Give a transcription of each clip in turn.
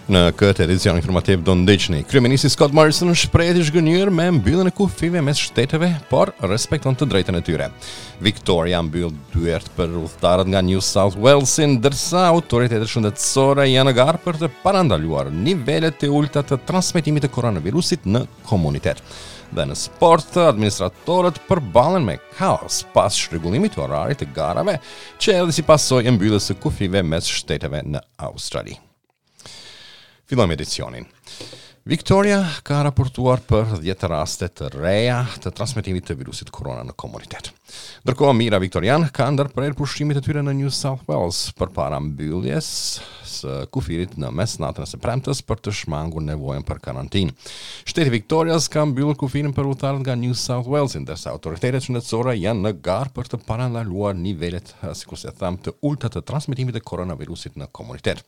Në këtë edicion informativ do ndiqni. Kryeministri Scott Morrison shprehet i zhgënjyer me mbylljen e kufijve mes shteteve, por respekton të drejtën e tyre. Victoria mbyll dyert për udhëtarët nga New South Wales, ndërsa autoritetet shëndetësore janë në garë për të parandaluar nivelet e ulëta të transmetimit të koronavirusit në komunitet. Dhe në sport, administratorët përballen me kaos pas çrregullimit të orarit të garave, që erdhi si pasojë e mbylljes së kufijve mes shteteve në Australi. Fillojmë edicionin. Victoria ka raportuar për 10 raste të reja të transmetimit të virusit korona në komunitet. Ndërkohë, mijëra viktorianë kanë ndërprerë pushimet e tyre në New South Wales përpara mbylljes së kufirit në mesnatën e së premtes për të shmangur nevojën për karantinë. Shteti i Victorias ka mbyllur kufirin për udhëtarët nga New South Wales, ndërsa autoritetet shëndetësore janë në garë për të parandaluar nivelet sikurse thamë, të ulëta të transmetimit të koronavirusit në komunitet.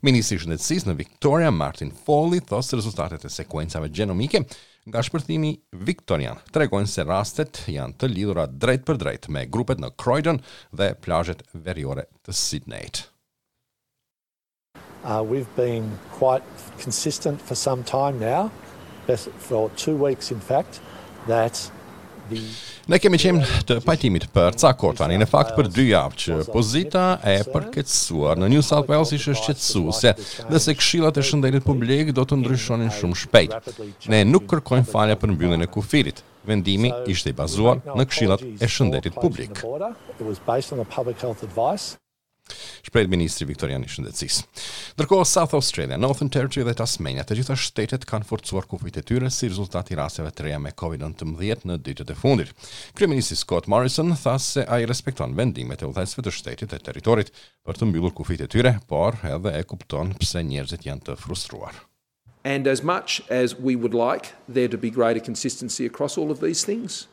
Ministri i Shëndetësisë në Victoria, Martin Foley, thotë se rezultatet e sekuencave gjenomike nga shpërthimi viktorian tregojnë se rastet janë të lidhura drejtpërdrejt me grupet në Croydon dhe plazhet veriore të Sydneyt. Uh, we've been quite consistent for some time now, for two weeks in fact, that Ne kemi qenë të pajtimit për ca kohë tani, në fakt për dy javë që pozita e përkeqësuar në New South Wales ishte shqetësuese dhe se këshillat e shëndetit publik do të ndryshonin shumë shpejt. Ne nuk kërkojmë falje për mbylljen e kufirit. Vendimi ishte i bazuar në këshillat e shëndetit publik. Shprehet ministri viktorian i Shëndetësisë. Ndërkohë South Australia, Northern Territory dhe Tasmania, të gjitha shtetet kanë forcuar kufijtë e tyre si rezultat i rasteve të reja me COVID-19 në ditët e fundit. Kryeministri Scott Morrison tha se ai respekton vendimet e udhëheqësve të shtetit dhe territorit për të mbyllur kufijtë e tyre, por edhe e kupton pse njerëzit janë të frustruar. And as much as we would like there to be greater consistency across all of these things,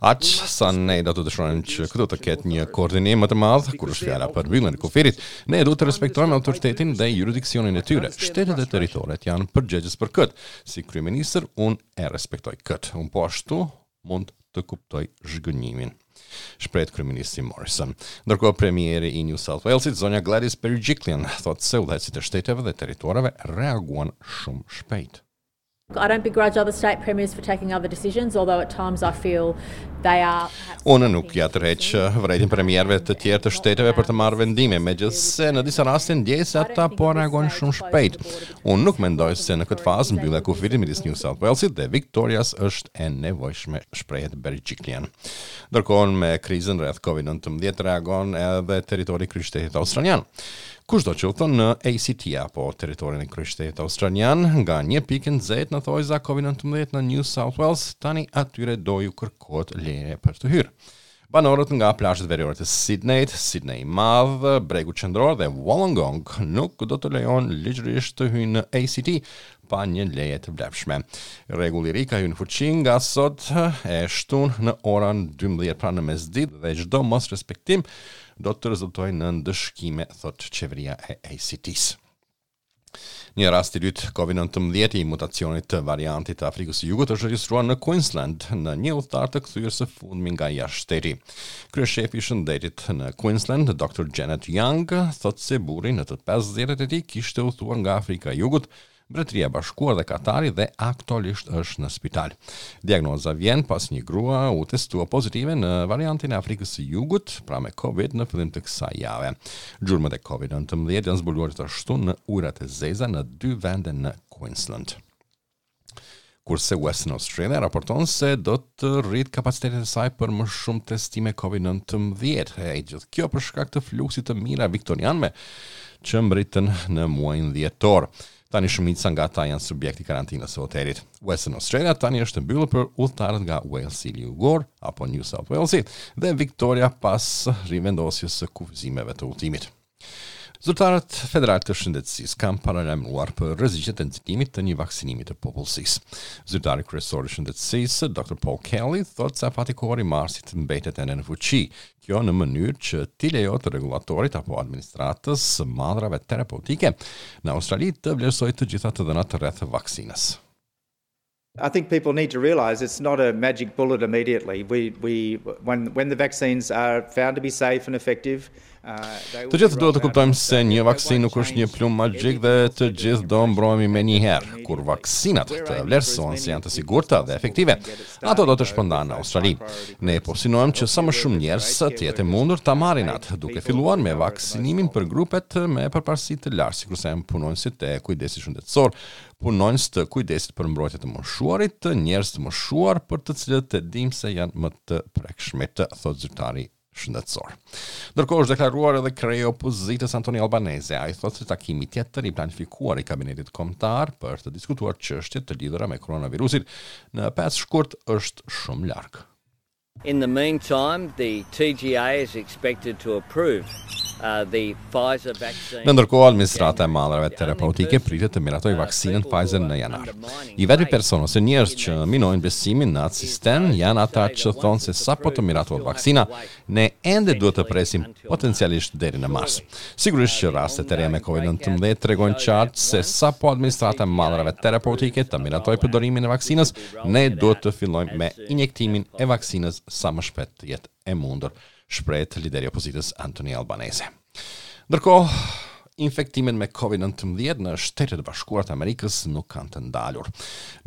Aq sa ne do të dëshironim që këtu të ketë një koordinim më të madh kur është fjala për mbylljen e kufirit, ne duhet të respektojmë autoritetin dhe juridiksionin e tyre. Shtetet dhe territoret janë përgjegjës për këtë. Si kryeministër, unë e respektoj këtë. Unë po ashtu mund të kuptoj zhgënjimin. Shprehet kryeministri Morrison. Ndërkohë premieri i New South Walesit, zonja Gladys Berejiklian, thotë se udhëheqësit e shteteve dhe territoreve reaguan shumë shpejt. I don't begrudge other state premiers for taking other decisions, although at times I feel they are Unë nuk ia tërheq vërejtjen premierëve të tjerë të shteteve për të marrë vendime, megjithëse në disa raste ndjej se ata po reagojnë shumë shpejt. Unë nuk mendoj se në këtë fazë mbyllja e kufirit midis New South Walesit dhe Victorias është e nevojshme, shprehet Berejiklian. Ndërkohë me krizën rreth Covid-19 reagon edhe territori i kryeqytetit australian. Kushdo që udhëton në ACT apo territorin e kryeqytetit australian nga një pikë e nxehtë në thonjëza Covid-19 në New South Wales, tani atyre do ju kërkohet leje për të hyrë. Banorët nga plazhet veriore të Sydneyt, Sydney i Madh, Bregu Qendror dhe Wollongong nuk do të lejohen ligjërisht të hyjnë në ACT pa një leje të vlefshme. Rregulli i ri ka hyrë në fuqi nga sot e shtunë në orën 12 pra në mesditë dhe çdo mosrespektim do të rezultojë në ndëshkime, thotë qeveria e ACT-së. Një rast i dytë COVID-19 i mutacionit të variantit të Afrikës së Jugut është regjistruar në Queensland në një udhëtar të kthyer së fundmi nga jashtë shteti. Kryeshefi i shëndetit në Queensland, Dr. Janet Young, thotë se burri në të 50-ët e tij kishte udhëtuar nga Afrika e Jugut Mbretëria e Bashkuar dhe Katari dhe aktualisht është në spital. Diagnoza vjen pas një grua u testua pozitive në variantin e Afrikës së Jugut, pra me Covid në fillim të kësaj jave. Gjurmët e Covid-19 janë zbuluar gjithashtu në ujërat e zeza në dy vende në Queensland. Kurse Western Australia raporton se do të rritë kapacitetet e saj për më shumë testime COVID-19. E gjithë kjo për shkak të fluksit të mijëra viktorianëve që mbërritën në muajin dhjetor. Tani shumica nga ata janë subjekt i karantinës së hotelit. Western Australia tani është e mbyllur për udhëtarët nga Walesi Jugor apo New South Walesi dhe Victoria pas rivendosjes së kufizimeve të udhëtimit. Zyrtarët federalë të shëndetësisë kanë paralajmëruar për rreziqet e nxitimit të një vaksinimi të popullsisë. Zyrtari kryesor i shëndetësisë, Dr. Paul Kelly, thotë se afati kohor i marsit mbetet ende në fuqi. Kjo në mënyrë që t'i lejohet rregullatorit apo administratës së mallrave terapeutike në Australi të vlerësojë të gjitha të dhënat rreth vaksinës. I think people need to realize it's not a magic bullet immediately. We, we, when, when the vaccines are found to be safe and effective. Të gjithë duhet të kuptojmë se një vaksinë nuk është një plumb magjik dhe të gjithë do mbrohemi menjëherë. Kur vaksinat të vlerësohen se janë të sigurta dhe efektive, ato do të shpërndahen në Australi. Ne po synojmë që sa më shumë njerëz të jetë e mundur ta marrin atë, duke filluar me vaksinimin për grupet me përparësi të lartë, sikurse janë punonjësit e kujdesit shëndetësor, punonjës të kujdesit për mbrojtje të moshuarit, njerëz të moshuar për të cilët e dimë se janë më të prekshmit, thotë zyrtari shëndetësor. Ndërkohë është deklaruar edhe kreu i opozitës Anthony Albanese. Ai thotë se takimi tjetër i planifikuar i kabinetit kombëtar për të diskutuar çështje të lidhura me koronavirusin në 5 shkurt është shumë larg. In the meantime, the TGA is expected to approve uh, the Pfizer vaccine. Në ndërkohë, administrata e mallrave terapeutike pritet të miratojë vaksinën Pfizer në janar. I vetmi person ose njerëz që minojnë besimin në atë sistem janë ata që thonë se sapo të miratohet vaksina, ne ende duhet të presim potencialisht deri në mars. Sigurisht që rastet e reja me COVID-19 tregojnë qartë se sapo administrata e mallrave terapeutike të miratojë përdorimin e vaksinës, ne duhet të fillojmë me injektimin e vaksinës sa më shpejt të jetë e mundur, shprehet lideri i opozitës Anthony Albanese. Ndërkohë, infektimet me COVID-19 në Shtetet e Bashkuara të Amerikës nuk kanë të ndalur.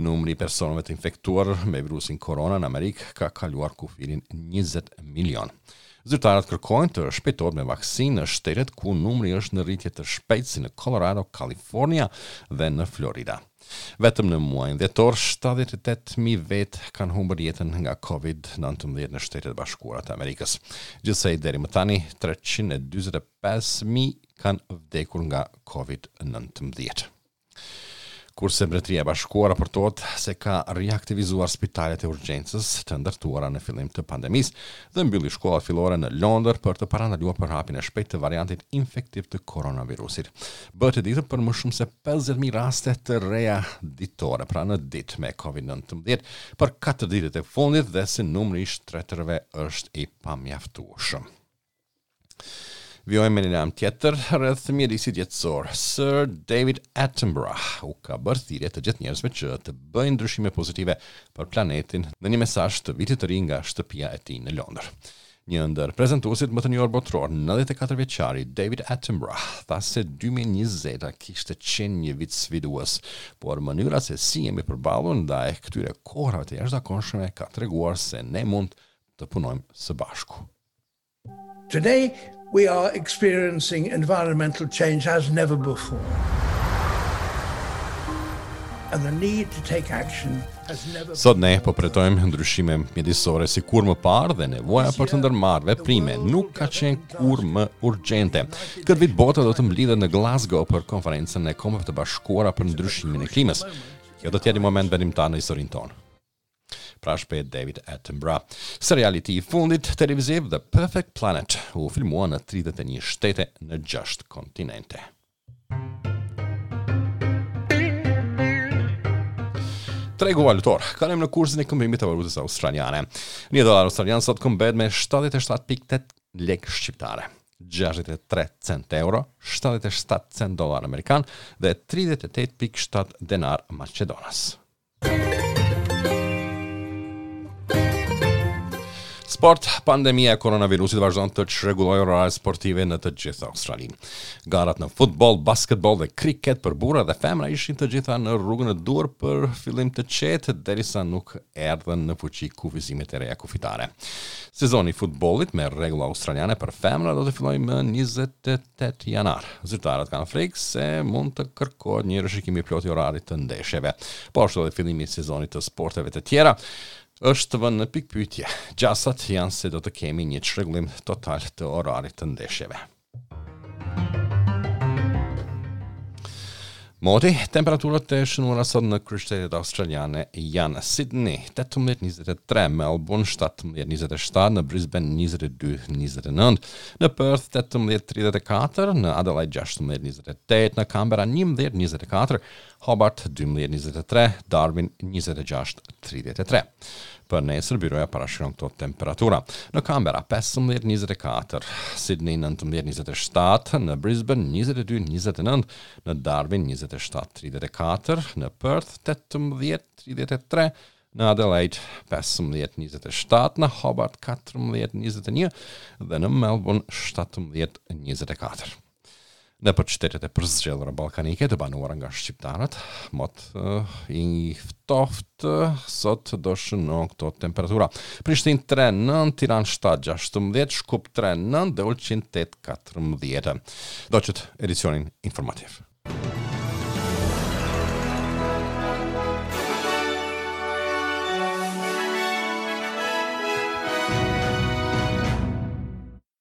Numri i personave të infektuar me virusin korona në Amerikë ka kaluar kufirin 20 milion. Zyrtarët kërkojnë të shpejtohet me vaksinë në shtetet ku numri është në rritje të shpejtë si në Colorado, California dhe në Florida. Vetëm në muajin dhjetor, 78.000 vetë kanë humbur jetën nga COVID-19 në Shtetet e Bashkuara të Amerikës. Gjithsej deri më tani, 345.000 kanë vdekur nga COVID-19. Kurse Mbretëria e Bashkuar raportohet se ka riaktivizuar spitalet e urgjencës të ndërtuara në fillim të pandemisë dhe mbylli shkollat fillore në Londër për të parandaluar përhapjen e shpejtë të variantit infektiv të koronavirusit. Bëhet e ditur për më shumë se 50.000 raste të reja ditore, pra në ditë me COVID-19 për 4 ditët e fundit dhe se numri i shtretërve është i pamjaftueshëm. Vijojmë me një lajm tjetër rreth mjedisit jetësor. Sir David Attenborough u ka bërë thirrje të gjithë njerëzve që të bëjnë ndryshime pozitive për planetin në një mesazh të vitit të ri nga shtëpia e tij në Londër. Një ndër prezantuesit më të njohur botëror, 94 vjeçari David Attenborough, tha se 2020-a kishte qenë një vit sfidues, por mënyra se si jemi përballur ndaj këtyre kohërave të jashtëzakonshme ka treguar se ne mund të punojmë së bashku. Today we are experiencing environmental change as never before. And the need to take action Sot ne po përjetojmë ndryshime mjedisore si kurrë më parë dhe nevoja për të ndërmarrë veprime nuk ka qenë kurrë më urgjente. Këtë vit bota do të mblidhet në Glasgow për konferencën e Kombeve të Bashkuara për ndryshimin e klimës. Kjo do të jetë një moment vendimtar në historinë tonë. Pra shprehet David Attenborough. Seriali i tij i fundit televiziv The Perfect Planet u filmua në 31 shtete në 6 kontinente. Tregu valutor. Kalojmë në kursin e këmbimit të valutës australiane. Një dollar australian sot këmbehet me 77.8 lekë shqiptare, 63 cent euro, 77 cent dollar amerikan dhe 38.7 denar maqedonas. Sport, pandemia e koronavirusit vazhdon të çrregullojë oraret sportive në të gjithë Australinë. Garat në futboll, basketboll dhe kriket për burra dhe femra ishin të gjitha në rrugën e duhur për fillim të qetë derisa nuk erdhën në fuqi kufizimet e reja kufitare. Sezoni i futbollit me rregulla australiane për femra do të fillojë më 28 janar. Zyrtarët kanë frikë se mund të kërkohet një rishikim i plotë i orarit të ndeshjeve. Po ashtu edhe fillimi i sezonit të sporteve të tjera është vënë në pikëpyetje. Gjasat janë se do të kemi një çrregullim total të orarit të ndeshjeve. Moti, temperaturat e shënuara sot në kryeqytetet australiane janë Sydney 18-23, Melbourne 17-27, në Brisbane 22-29, në Perth 18-34, në Adelaide 16-28, në Canberra 11-24, Hobart 12-23, Darwin 26-33. Për nesër, byroja parashikon këto temperatura. Në Canberra 15-24, Sydney 19-27, në Brisbane 22-29, në Darwin 27-34, në Perth 18-33, Në Adelaide 15 27, në Hobart 14 21 dhe në Melbourne 17 24. Nëpër qytetet e përzgjedhura ballkanike të banuara nga shqiptarët, mot uh, i ftohtë sot do shënon këto temperatura. Prishtinë 3 9, Tiranë 7 16, Shkup 3 9 dhe Ulqin 8 14. Ndoqët edicionin informativ.